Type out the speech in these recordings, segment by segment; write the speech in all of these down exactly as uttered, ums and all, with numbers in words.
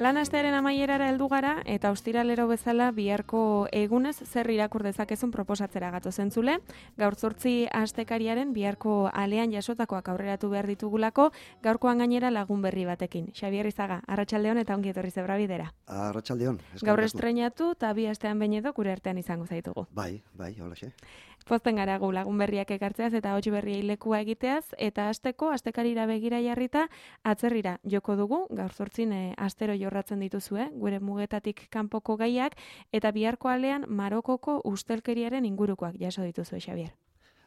Lan astearen amaierara heldu gara eta ostiralero bezala biharko egunez zer irakur dezakezun proposatzera gatoz entzule. Gaur zortzi astekariaren biharko alean jasotakoak aurreratu behar ditugulako, gaurkoan gainera lagun berri batekin. Xabier Izaga, arratsaldeon eta ongi etorri Zebrabidera. Arratsaldeon. Gaur estreinatu eta bi astean behin edo gure artean izango zaitugu. Bai, bai, holaxe. Pozten gara gu lagun berriak ekartzeaz eta hots berriei lekua egiteaz, eta asteko astekarira begira jarrita atzerrira joko dugu, gaur zortzin e, astero jorratzen dituzue, gure mugetatik kanpoko gaiak, eta biharko alean Marokoko ustelkeriaren ingurukoak jaso dituzue, Xabier.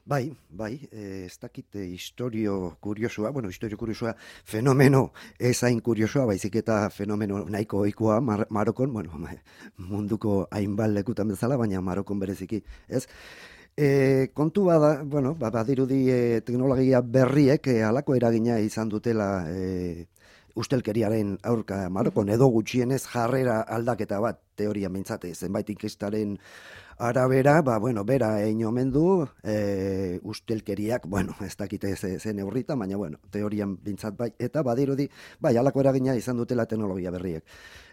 Bai, bai, eh, ez dakit eh, historio kuriosua, bueno, historio kuriosua fenomeno ez hain kuriosoa, baizik eta fenomeno nahiko ohikoa Mar Marokon, bueno, munduko hainbat lekutan bezala, baina Marokon bereziki, ez? E, kontu bada, bueno, badirudi e, teknologia berriek e, halako eragina izan dutela e, ustelkeriaren aurka Marokon, edo gutxienez jarrera aldaketa bat, teoria mintzate, zenbait inkestaren arabera, ba, bueno, bera egin omen du, e, ustelkeriak, bueno, ez dakite zen eurrita, baina, bueno, teorian bintzat bai, eta badirudi, bai, halako eragina izan dutela teknologia berriek.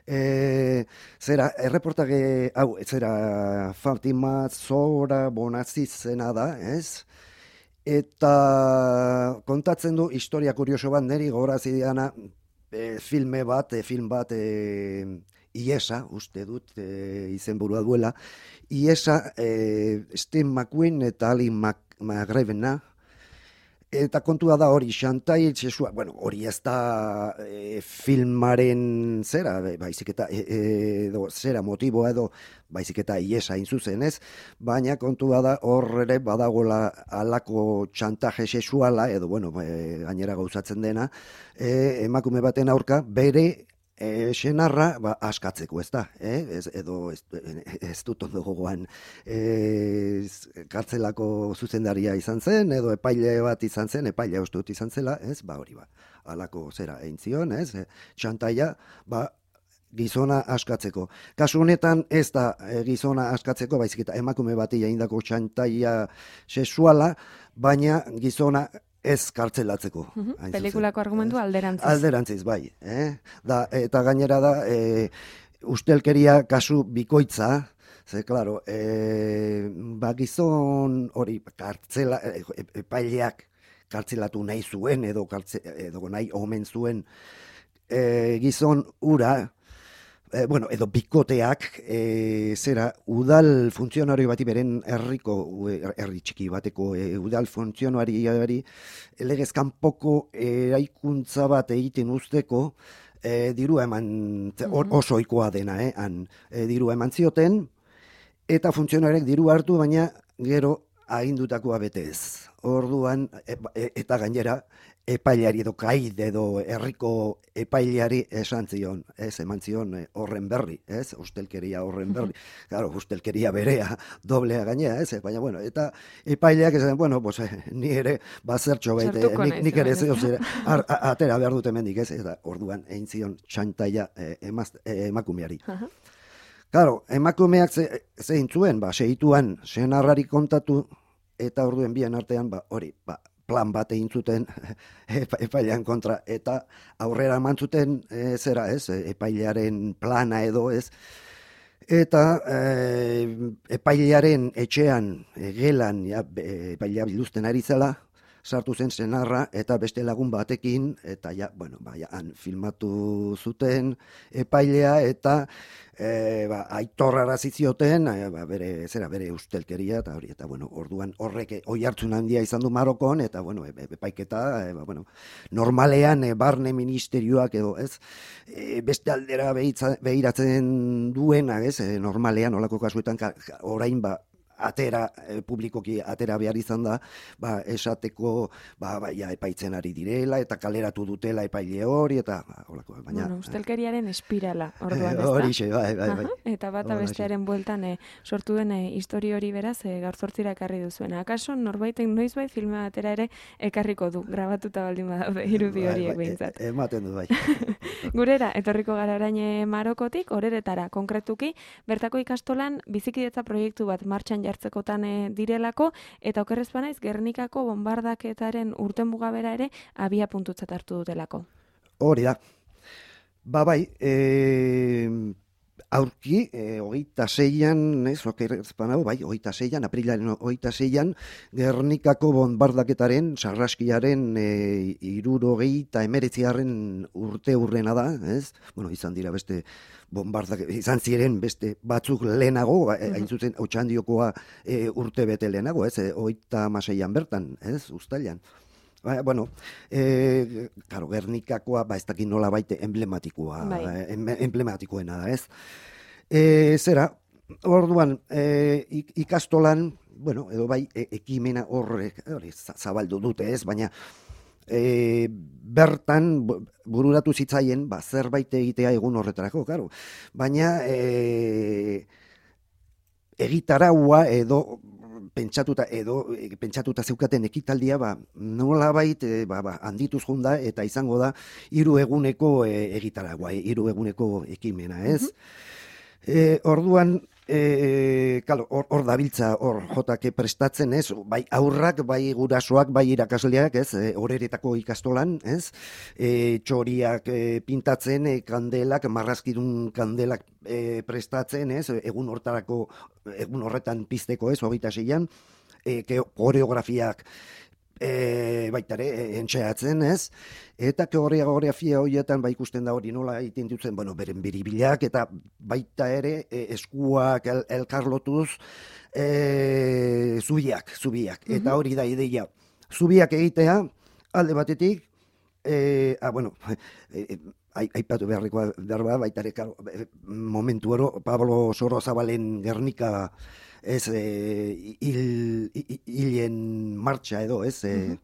E, zera, erreportage, hau, zera, Fatima Zora Bonaziz zena da, ez? Eta kontatzen du historia kurioso bat, niri gogorazi diana, e, filme bat, e, film bat, e, Iesa, uste dut, e, izenburua duela, Iesa, e, Steve McQueen eta Ali McGravena, eta kontua da hori, Xantai Txesua, bueno, hori ez da e, filmaren zera, baizik eta, e, edo, zera motiboa edo, baizik eta Iesa zuzen ez, baina kontua da hor ere badagola alako txantaje sexuala, edo, bueno, e, gainera gauzatzen dena, e, emakume baten aurka, bere E, senarra ba, askatzeko, ez da, eh? ez, edo ez, ez dut ondo gogoan e, kartzelako zuzendaria izan zen, edo epaile bat izan zen, epaile uste dut izan zela, ez, ba hori ba, alako zera egin zion, ez, e, txantaia, ba, gizona askatzeko. Kasu honetan ez da e, gizona askatzeko, baizik eta emakume bati egindako txantaia sexuala, baina gizona ez kartzelatzeko. Uh-huh. Pelikulako argumentu alderantziz. Alderantziz, bai. Eh? Da, eta gainera da, e, ustelkeria kasu bikoitza, ze, klaro, e, ba, gizon hori kartzela, e, epaileak kartzelatu nahi zuen, edo, kartze, edo nahi omen zuen e, gizon ura, E, bueno, edo bikoteak, e, zera, udal funtzionario bati beren herriko, herri txiki bateko, e, udal funtzionariari legez kanpoko eraikuntza bat egiten usteko, e, dirua eman, or, oso ohikoa dena, eh, han, e, dirua eman zioten, eta funtzionarek diru hartu, baina gero agindutakoa bete ez. Orduan, e, e, eta gainera, epaileari edo kaide edo herriko epaileari esan zion, ez, eman zion horren berri, ez, ustelkeria horren berri. Claro, ustelkeria berea, doblea gainea, ez, baina, bueno, eta epaileak esan, bueno, pues, ni ere, bazertxo baite, nik, nik ere zeo zire, atera behar dut hemendik, ez, eta orduan egin zion txantaia eh, emaz, eh, emakumeari. Uh-huh. Claro, emakumeak ze, zein zuen, ba, segituan senarrari kontatu, eta orduen bien artean, ba, hori, ba, plan bat egin zuten epailean kontra, eta aurrera eman zuten e, zera, ez, epailearen plana edo, ez, eta e, epailearen etxean, e, gelan, ja, epailea biluzten ari zela, sartu zen senarra, eta beste lagun batekin, eta ja, bueno, ba, ja, han filmatu zuten epailea, eta e, ba, aitorrara zizioten, e, ba, bere, zera, bere ustelkeria, eta hori, eta, bueno, orduan horrek oi hartzun handia izan du Marokon, eta, bueno, e, epaiketa, e, ba, bueno, normalean, e, barne ministerioak edo, ez, e, beste aldera behitza, behiratzen duena, ez, e, normalean, olako kasuetan, ka, orain, ba, atera, e, publikoki atera behar izan da, ba, esateko, ba, ba, ja, epaitzen ari direla, eta kaleratu dutela epaile hori, eta, ba, holako, baina... Bueno, ustelkeriaren espirala, orduan, ez da? Horixe, bai, bai, bai. Eta bata bestearen bueltan e, sortu den e, histori hori beraz, e, gaur zortzira ekarri duzuena. Akaso, norbaitek noizbait filme batera ere ekarriko du, grabatuta baldin badaude, irudi horiek behintzat. E, ematen du, bai. Gurera, etorriko gara orain Marokotik, horeretara, konkretuki, bertako ikastolan bizikidetza proiektu bat martxan jartzekotan e, direlako, eta okerrez banaiz Gernikako bombardaketaren urten mugabera ere abia puntutzat hartu dutelako. Hori da. Ba bai, e, aurki, e, hogeita zeian, ez, okerzpanau, bai, hogeita zeian, aprilaren hogeita zeian, Gernikako bombardaketaren, sarraskiaren, e, irurogeita emeretziaren urte urrena da, ez? Bueno, izan dira beste bombardak, izan ziren beste batzuk lehenago, mm-hmm. hain zuzen, Otxandiokoa e, urte bete lehenago, ez? E, hogeita maseian bertan, ez? Uztailan. Ba, bueno, e, claro, Gernikakoa, ba, ez dakit nola baite emblematikoa, bai. emblematikoena da, ez? E, zera, orduan, e, ikastolan, bueno, edo bai, e, ekimena horrek, hori, zabaldu dute, ez? Baina, e, bertan, bururatu zitzaien, ba, zerbait egitea egun horretarako, claro. Baina, e, egitaraua edo, pentsatuta edo pentsatuta zeukaten ekitaldia ba nolabait e, ba, ba handituz joan da eta izango da hiru eguneko e, egitaragua, hiru eguneko ekimena, ez? Mm-hmm. E, orduan e, claro, hor, hor dabiltza hor jotake prestatzen, ez? Bai aurrak, bai gurasoak, bai irakasleak, ez? E, horeretako ikastolan, ez? E, txoriak e, pintatzen, e, kandelak, marrazkidun kandelak e, prestatzen, ez? Egun hortarako egun horretan pizteko, ez, hogeita zeian, e, koreografiak e, baitare, e, entxeatzen, ez, eta koreografia horietan ba ikusten da hori nola egiten dutzen, bueno, beren biribilak, eta baita ere e, eskuak el, elkarlotuz e, zubiak, zubiak, mm-hmm. eta hori da ideia, zubiak egitea, alde batetik, e, ah, bueno, e, aipatu beharrikoa berba, baita ere, momentu oro, Pablo Sorozabalen Gernika, ez, e, hil, hilen martxa edo, ez, e,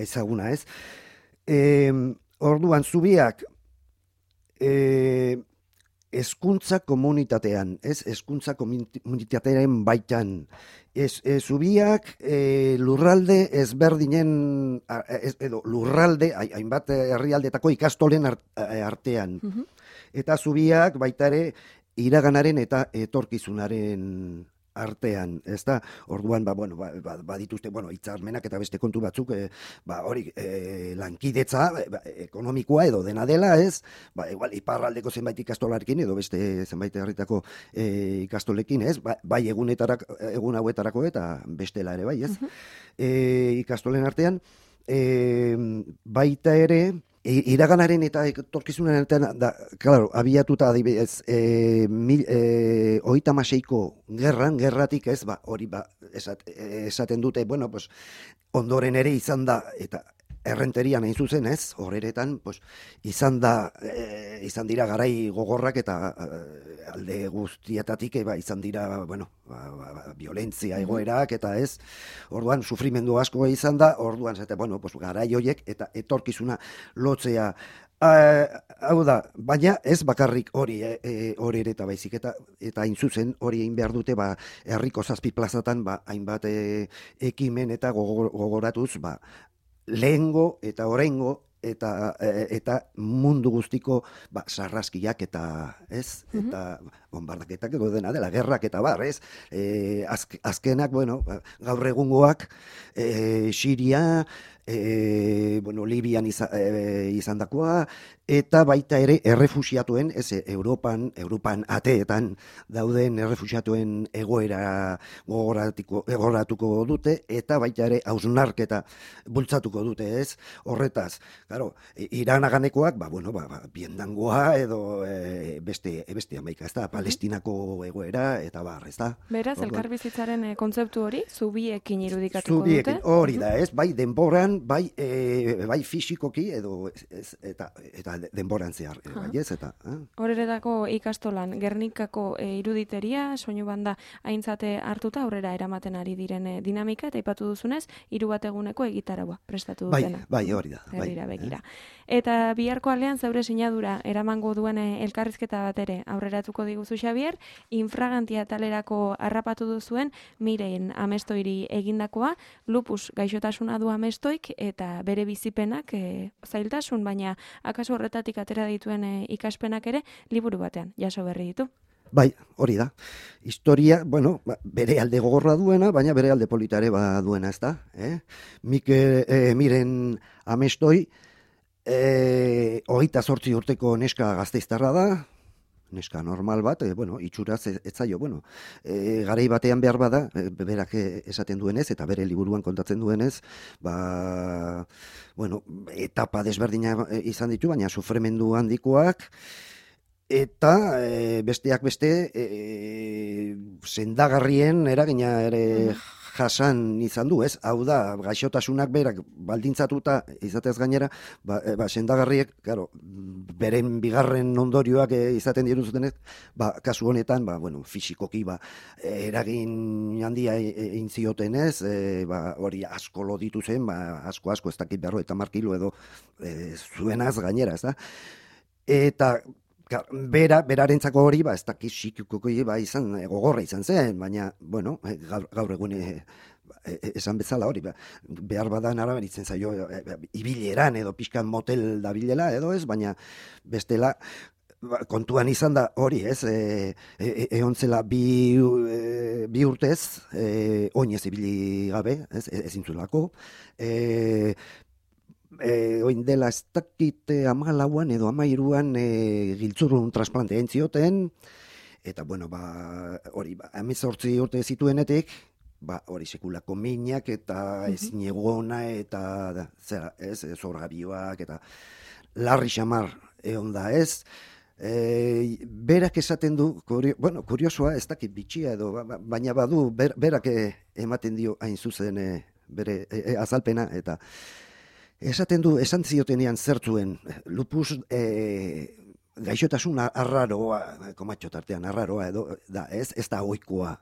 ezaguna, ez. E, orduan, zubiak, e, hezkuntza komunitatean, ez, hezkuntza komunitatearen baitan, ez, ez zubiak e, lurralde ezberdinen, ez, edo lurralde, hainbat herrialdetako ikastolen artean. Mm-hmm. Eta zubiak baita ere iraganaren eta etorkizunaren artean, ez da, orduan, ba, bueno, ba, ba, badituzte, bueno, hitzarmenak eta beste kontu batzuk, e, ba, hori, e, lankidetza, ba, ekonomikoa edo dena dela, ez, ba, igual, iparraldeko zenbait ikastolarekin edo beste zenbait herritako e, ikastolekin, ez, ba, bai egunetarak, egun hauetarako eta bestela ere, bai, ez, uh-huh. e, ikastolen artean, e, baita ere, iraganaren eta etorkizunaren artean, da, claro, abiatuta adibidez, e, mil, e, oita maseiko gerran, gerratik ez, ba, hori ba, esat, esaten dute, bueno, pues, ondoren ere izan da, eta errenterian hain zuzen ez, horeretan, pues, izan da, e, izan dira garai gogorrak eta e, alde guztietatik, e, ba, izan dira, bueno, ba, ba, ba, violentzia egoerak eta ez, orduan, sufrimendu asko izan da, orduan, zete, bueno, pues, garai hoiek eta etorkizuna lotzea, Uh, hau da, baina ez bakarrik hori eh, e, hori ere eta baizik eta eta hain zuzen hori egin behar dute ba herriko zazpi plazatan ba hainbat e, ekimen eta gogoratuz ba lehengo eta oraingo eta eta mundu guztiko ba sarraskiak eta ez mm-hmm. eta bombardaketak edo dena dela gerrak eta bar, ez? E, azk, azkenak bueno, gaur egungoak e, Siria E, bueno, Libian izan, e, izandakoa eta baita ere errefuxiatuen, ez, Europan, Europan ateetan dauden errefuxiatuen egoera gogoratuko, gogoratuko dute eta baita ere hausnarketa bultzatuko dute, ez, horretaz. Claro, Iranaganekoak, ba, bueno, ba, ba, biendangoa edo e, beste, beste amaika, ez da, Palestinako egoera eta bar, ez da. Beraz, elkarbizitzaren e, kontzeptu hori, zubiekin irudikatuko zubiekin, dute? Hori da, ez, bai, denboran bai e, bai fisikoki edo ez, eta eta denboran zehar e, bai ez eta eh? Horeretako ikastolan Gernikako e, iruditeria soinu banda aintzate hartuta aurrera eramaten ari diren e, dinamika eta aipatu duzunez hiru bat eguneko egitaraua prestatu dutena. Bai, bai, hori da. Bai, begira. Eh? Eta biharko aldean zeure sinadura eramango duen elkarrizketa bat ere aurreratuko diguzu Xabier, infragantia talerako harrapatu duzuen Miren Amestoiri egindakoa, lupus gaixotasuna du Amestoik eta bere bizipenak e, zailtasun, baina akaso horretatik atera dituen e, ikaspenak ere liburu batean jaso berri ditu. Bai, hori da. Historia, bueno, bere alde gogorra duena, baina bere alde politare ba duena, ez da? Eh? Mikel, eh, Miren Amestoi, eh, hogeita zortzi urteko neska gazteiztarra da, neska normal bat, e, bueno, itxuraz ez, ez zaio, bueno, e, garai batean behar bada, e, berak esaten duenez, eta bere liburuan kontatzen duenez, ba, bueno, etapa desberdina izan ditu, baina sufrimendu handikoak, eta e, besteak beste, e, sendagarrien eragina ere jasan izan du, ez? Hau da, gaixotasunak berak baldintzatuta izatez gainera, ba, e, ba sendagarriek, claro, beren bigarren ondorioak e, izaten diru zutenez, ba, kasu honetan, ba, bueno, fisikoki, ba, eragin handia egin zioten ez, e, ba, hori asko loditu zen, ba, asko asko ez dakit berro eta markilo edo e, zuenaz gainera, ez da? Eta bera, berarentzako hori, ba, ez dakit psikikokoi, ba, izan, gogorra izan zen, baina, bueno, gaur, gaur egun e, esan bezala hori, ba, behar badan araberitzen zaio, e, ibileran edo pixkan motel dabilela edo ez, baina bestela, ba, kontuan izan da hori, ez, e, e, egon zela bi, e, bi urtez, e, oinez ibili gabe, ez, ezin zuelako, e, E, oin dela ez dakite amalauan edo amairuan e, giltzurrun transplante egin zioten, eta bueno, ba, hori, ba, hemezortzi urte zituenetik, ba, hori sekulako minak eta ezin egona eta da, zera, ez, zorgabioak eta larri xamar egon da ez, e, berak esaten du, kurio, bueno, kuriosoa ez dakit bitxia edo, ba, baina badu, ber, berak ematen dio hain zuzen e, bere e, e, azalpena, eta esaten du, esan ziotenean zertzuen, lupus e, gaixotasun arraroa, komatxo tartean arraroa edo, da, ez, ez da ohikoa.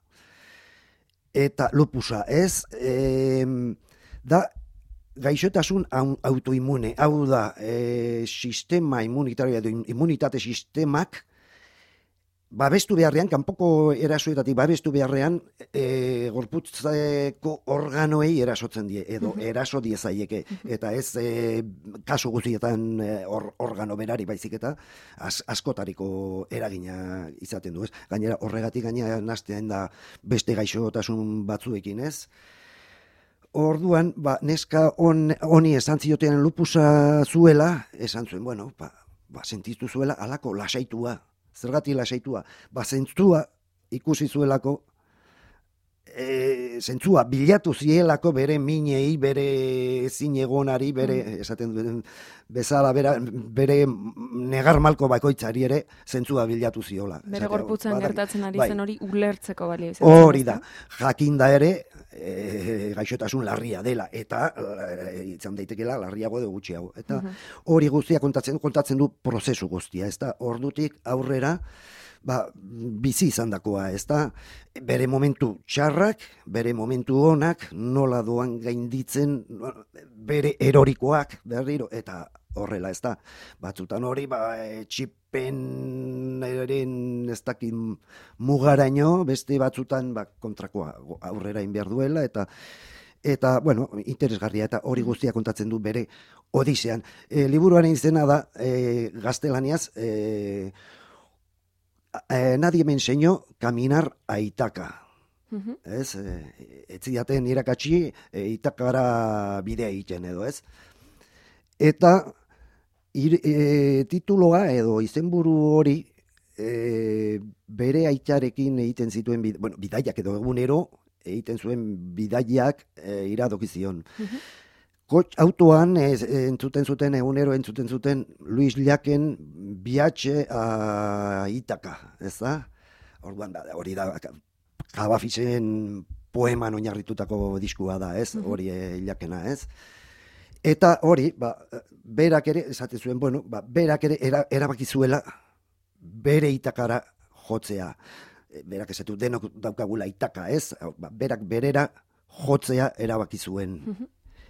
Eta lupusa, ez, e, da, gaixotasun autoimune, hau da, e, sistema immunitario edo immunitate sistemak, babestu beharrean, kanpoko erasoetatik babestu beharrean, e, gorputzeko organoei erasotzen die, edo eraso diezaieke, eta ez e, kasu guztietan e, or, organo berari baizik eta az, askotariko eragina izaten du, ez? Gainera, horregatik gainera nastean da beste gaixotasun batzuekin, ez? Orduan, ba, neska on, honi esan zioten lupusa zuela, esan zuen, bueno, ba, ba, sentitu zuela alako lasaitua, zergatik lasaitua, ba, zentzua ikusi zuelako, e, zentzua bilatu zielako bere minei, bere zinegonari, bere, esaten duen bezala, bera, bere negar malko bakoitzari ere, zentzua bilatu ziola. Bere gorputzan gertatzen ari zen hori ulertzeko balio. Hori da, jakinda ere, e, gaixotasun larria dela, eta e, izan daitekela larriago edo gutxiago. Eta hori guztia kontatzen, kontatzen du prozesu guztia, ez da, ordutik aurrera, ba, bizi izandakoa, ez da, bere momentu txarrak, bere momentu onak, nola doan gainditzen, bere erorikoak, berriro, eta horrela, ez da, batzutan hori, ba, e, txipen eren ez dakit mugaraino, beste batzutan ba, kontrakoa aurrera inbehar duela, eta eta, bueno, interesgarria, eta hori guztia kontatzen du bere odisean. E, liburuaren izena da, e, gaztelaniaz, e, e, nadie me enseñó caminar a Itaca. Uh-huh. Ez, e, ez zidaten irakatsi e, Itakara bidea egiten edo, ez? Eta Ir, e, tituloa edo izenburu hori e, bere aitarekin egiten zituen, bid, bueno, bidaiak edo egunero egiten zuen bidaiak e, iradokizion. Uh-huh. Kotx autoan e, entzuten zuten, egunero entzuten zuten Luis Llaken Viatge a Itaka, ez da? Orduan da, hori da, Kabafisen poeman oinarritutako diskua da, ez? Hori uh-huh. e, Llakena, ez? Eta hori, ba, berak ere, esaten zuen, bueno, ba, berak ere era, erabaki zuela bere Itakara jotzea. Berak esatu denok daukagula Itaka, ez? Ba, berak berera jotzea erabaki zuen.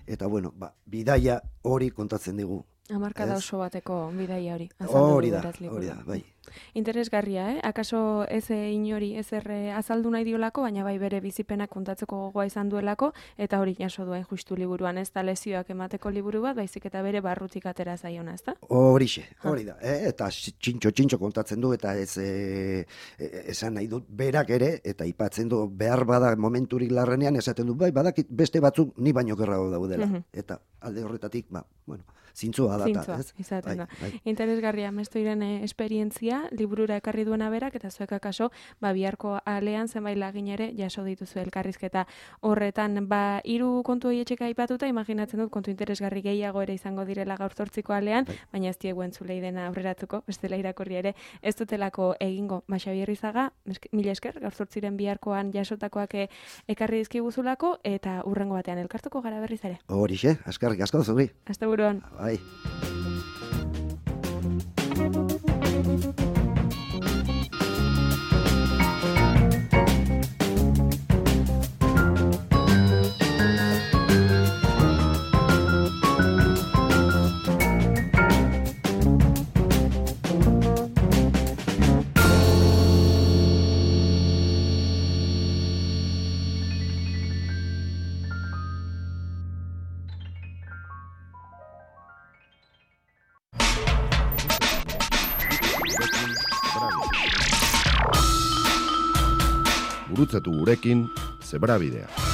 Eta bueno, ba, bidaia hori kontatzen digu. Hamarkada oso bateko bidaia hori. Hori da, hori da, bai. Interesgarria, eh? Akaso ez inori ez erre azaldu nahi diolako, baina bai bere bizipenak kontatzeko gogoa izan duelako, eta hori jaso duen justu liburuan, ez da lezioak emateko liburu bat, baizik eta bere barrutik atera zaiona, ez da? Horixe, hori da, eh? Eta txintxo-txintxo kontatzen du, eta ez e, esan nahi dut berak ere, eta ipatzen du behar bada momenturik larrenean, esaten du, bai, badakit beste batzuk ni baino gerrago daudela. Uh-huh. Eta alde horretatik, ba, bueno, zintzua data, Zintzua, ez? izaten da. Bai, bai. Interesgarria Mestoiren eh, esperientzia, liburura ekarri duena berak, eta zuek akaso, ba, biharko alean zenbait lagin ere jaso dituzu elkarrizketa horretan. Ba, hiru kontu horietxeka aipatuta, imaginatzen dut kontu interesgarri gehiago ere izango direla gaur zortziko alean, Bai. baina ez diegu entzulei dena aurreratuko, bestela irakurri ere, ez dutelako egingo. Ba, Xabier Rizaga, mila esker, gaur zortziren biharkoan jasotakoak eh, ekarri dizkiguzulako, eta urrengo batean elkartuko gara berriz ere. Horixe, eskerrik asko zuri. Asteburuan. Bai. Gurutzatu gurekin Zebrabidea.